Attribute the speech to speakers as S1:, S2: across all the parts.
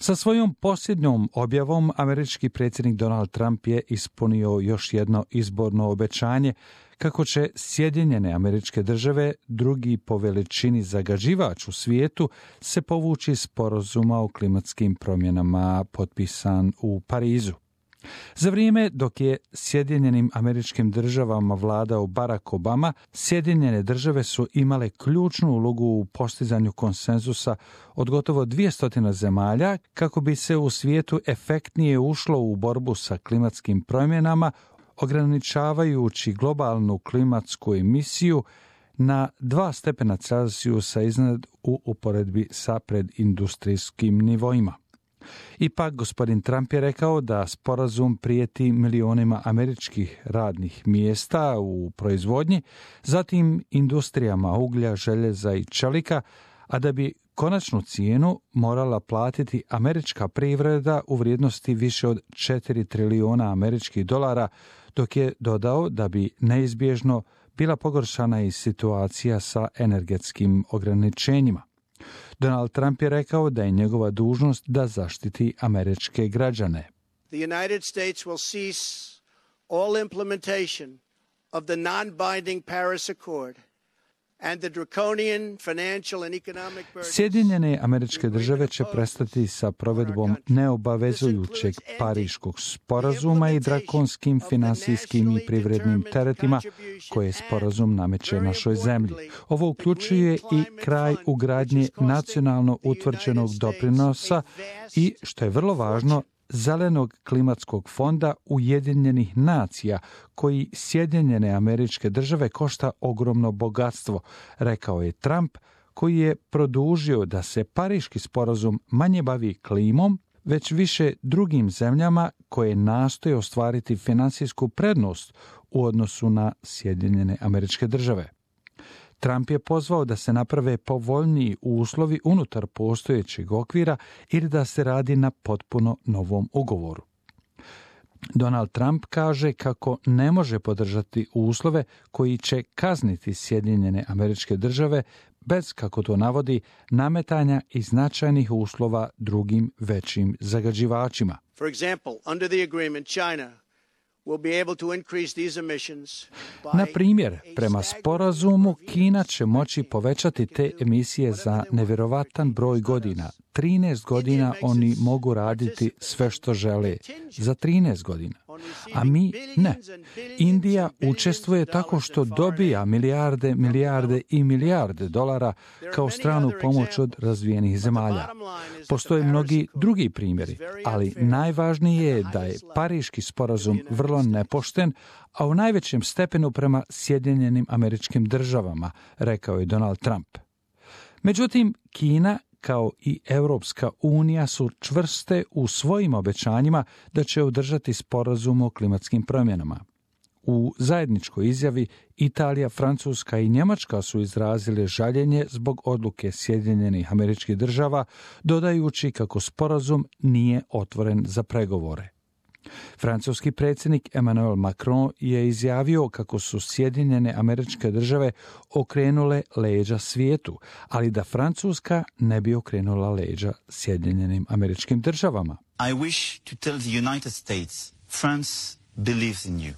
S1: Sa svojom posljednjom objavom američki predsjednik Donald Trump je ispunio još jedno izborno obećanje kako će Sjedinjene Američke Države, drugi po veličini zagađivač u svijetu, se povući iz sporazuma o klimatskim promjenama potpisan u Parizu. Za vrijeme dok je Sjedinjenim Američkim Državama vladao Barack Obama, Sjedinjene Države su imale ključnu ulogu u postizanju konsenzusa od gotovo 200 zemalja kako bi se u svijetu efektnije ušlo u borbu sa klimatskim promjenama, ograničavajući globalnu klimatsku emisiju na 2 stepena Celzijusa iznad u uporedbi sa predindustrijskim nivoima. Ipak, gospodin Trump je rekao da sporazum prijeti milionima američkih radnih mjesta u proizvodnji, zatim industrijama uglja, željeza i čelika, a da bi konačnu cijenu morala platiti američka privreda u vrijednosti više od 4 trilijuna američkih dolara, dok je dodao da bi neizbježno bila pogoršana i situacija sa energetskim ograničenjima. Donald Trump je rekao da je njegova dužnost da zaštiti američke građane.
S2: The United States will cease all implementation of the non-binding Paris Accord and the draconian financial and economic burdens.
S1: Sjedinjene Američke Države će prestati sa provedbom neobavezujućeg Pariškog sporazuma i drakonskim finansijskim i privrednim teretima koje sporazum nameće našoj zemlji. Ovo uključuje i kraj ugradnje nacionalno utvrđenog doprinosa i, što je vrlo važno, Zelenog klimatskog fonda Ujedinjenih nacija, koji Sjedinjene Američke Države košta ogromno bogatstvo, rekao je Trump, koji je produžio da se Pariški sporazum manje bavi klimom, već više drugim zemljama koje nastoje ostvariti finansijsku prednost u odnosu na Sjedinjene Američke Države. Trump je pozvao da se naprave povoljniji uslovi unutar postojećeg okvira ili da se radi na potpuno novom ugovoru. Donald Trump kaže kako ne može podržati uslove koji će kazniti Sjedinjene Američke Države bez, kako to navodi, nametanja i značajnih uslova drugim većim zagađivačima.
S2: For example, under the agreement, China will be able to increase these emissions by
S1: Na primjer, prema sporazumu, Kina će moći povećati te emisije za nevjerovatan broj godina. 13 godina oni mogu raditi sve što žele. Za 13 godina. A mi ne. Indija učestvuje tako što dobija milijarde i milijarde dolara kao stranu pomoć od razvijenih zemalja. Postoje mnogi drugi primjeri, ali najvažnije je da je Pariški sporazum vrlo nepošten, a u najvećem stepenu prema Sjedinjenim Američkim Državama, rekao je Donald Trump. Međutim, Kina kao i Europska unija su čvrste u svojim obećanjima da će održati sporazum o klimatskim promjenama. U zajedničkoj izjavi Italija, Francuska i Njemačka su izrazile žaljenje zbog odluke Sjedinjenih Američkih Država, dodajući kako sporazum nije otvoren za pregovore. Francuski predsjednik Emmanuel Macron je izjavio kako su Sjedinjene Američke Države okrenule leđa svijetu, ali da Francuska ne bi okrenula leđa Sjedinjenim Američkim Državama.
S3: I wish to tell the United States, France believes in you.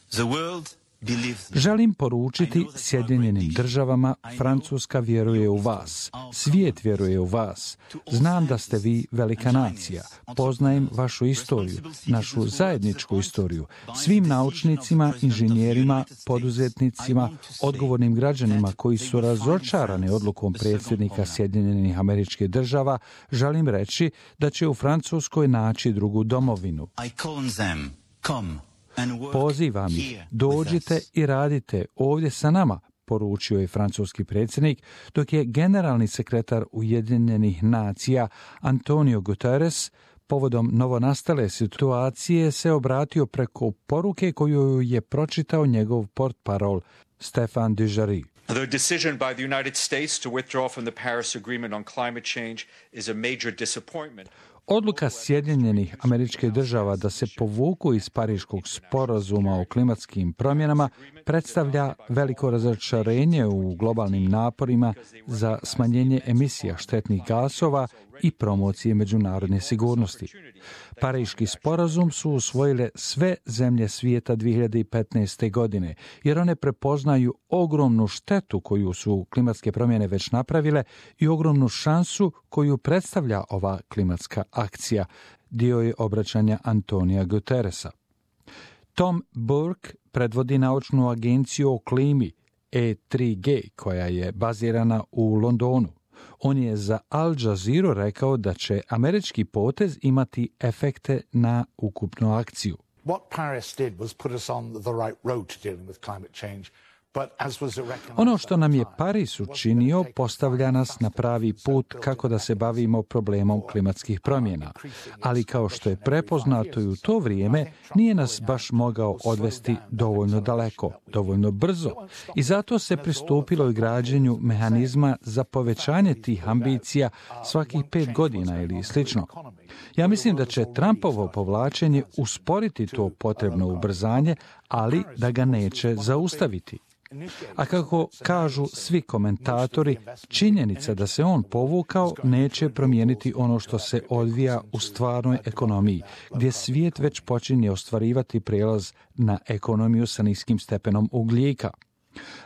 S3: The world believes in you.
S1: Želim poručiti Sjedinjenim Državama, Francuska vjeruje u vas, svijet vjeruje u vas. Znam da ste vi velika nacija, poznajem vašu istoriju, našu zajedničku istoriju, svim naučnicima, inženjerima, poduzetnicima, odgovornim građanima koji su razočarani odlukom predsjednika Sjedinjenih Američkih Država, želim reći da će u Francuskoj naći drugu domovinu.
S3: I call on them, come.
S1: Pozivam ih, dođite i radite ovdje sa nama, poručio je francuski predsjednik, dok je generalni sekretar Ujedinjenih nacija Antonio Guterres povodom novonastale situacije se obratio preko poruke koju je pročitao njegov portparol Stéphane Dujarric.
S4: The decision by the United States to withdraw from the Paris Agreement on climate change is a major disappointment.
S1: Odluka Sjedinjenih Američkih Država da se povuku iz Pariškog sporazuma o klimatskim promjenama predstavlja veliko razočarenje u globalnim naporima za smanjenje emisija štetnih gasova i promocije međunarodne sigurnosti. Pariški sporazum su usvojile sve zemlje svijeta 2015. godine, jer one prepoznaju ogromnu štetu koju su klimatske promjene već napravile i ogromnu šansu koju predstavlja ova klimatska akcija, dio je obraćanja Antonija Guterresa. Tom Burke predvodi naučnu agenciju o klimi E3G, koja je bazirana u Londonu. On je za Al Jazeera rekao da će američki potez imati efekte na ukupnu akciju.
S5: What Paris did was put us on the right road to dealing with climate change.
S1: Ono što nam je Pariz učinio postavlja nas na pravi put kako da se bavimo problemom klimatskih promjena, ali kao što je prepoznato i u to vrijeme, nije nas baš mogao odvesti dovoljno daleko, dovoljno brzo i zato se pristupilo i građenju mehanizma za povećanje tih ambicija svakih 5 godina ili slično. Ja mislim da će Trumpovo povlačenje usporiti to potrebno ubrzanje, ali da ga neće zaustaviti. A kako kažu svi komentatori, činjenica da se on povukao neće promijeniti ono što se odvija u stvarnoj ekonomiji, gdje svijet već počinje ostvarivati prijelaz na ekonomiju sa niskim stepenom ugljika.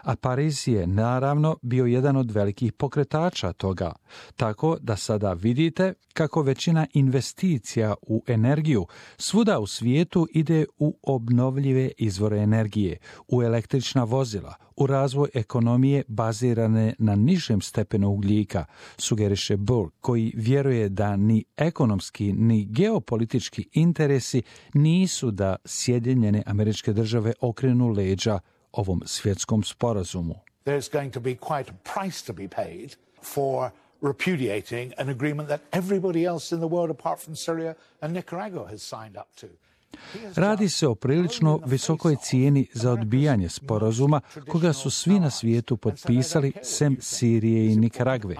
S1: A Pariz je naravno bio jedan od velikih pokretača toga, tako da sada vidite kako većina investicija u energiju svuda u svijetu ide u obnovljive izvore energije, u električna vozila, u razvoj ekonomije bazirane na nižem stepenu ugljika, sugeriše Burke, koji vjeruje da ni ekonomski ni geopolitički interesi nisu da Sjedinjene Američke Države okrenu leđa ovom svjetskom sporazumu.
S5: There's going to be quite a price to be paid for repudiating an agreement that everybody else in the world apart from Syria and Nicaragua has signed up to.
S1: Radi se o prilično visokoj cijeni za odbijanje sporazuma koga su svi na svijetu potpisali sem Sirije i Nikaragve.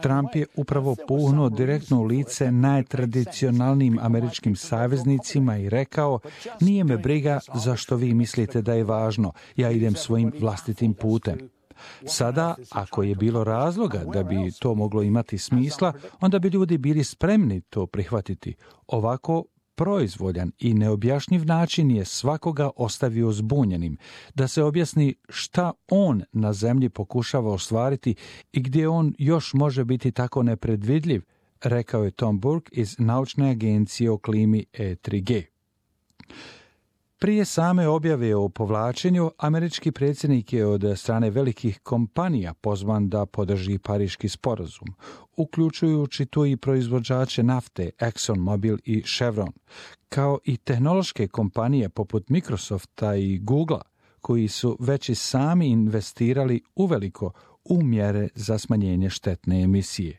S1: Trump je upravo puhnuo direktno u lice najtradicionalnijim američkim saveznicima i rekao: nije me briga zašto vi mislite da je važno, ja idem svojim vlastitim putem. Sada, ako je bilo razloga da bi to moglo imati smisla, onda bi ljudi bili spremni to prihvatiti. Ovako, proizvoljan i neobjašnjiv način je svakoga ostavio zbunjenim, da se objasni šta on na zemlji pokušava ostvariti i gdje on još može biti tako nepredvidljiv, rekao je Tom Burke iz naučne agencije o klimi E3G. Prije same objave o povlačenju, američki predsjednik je od strane velikih kompanija pozvan da podrži Pariški sporazum, uključujući tu i proizvođače nafte ExxonMobil i Chevron, kao i tehnološke kompanije poput Microsofta i Googlea, koji su već i sami investirali uveliko u mjere za smanjenje štetne emisije.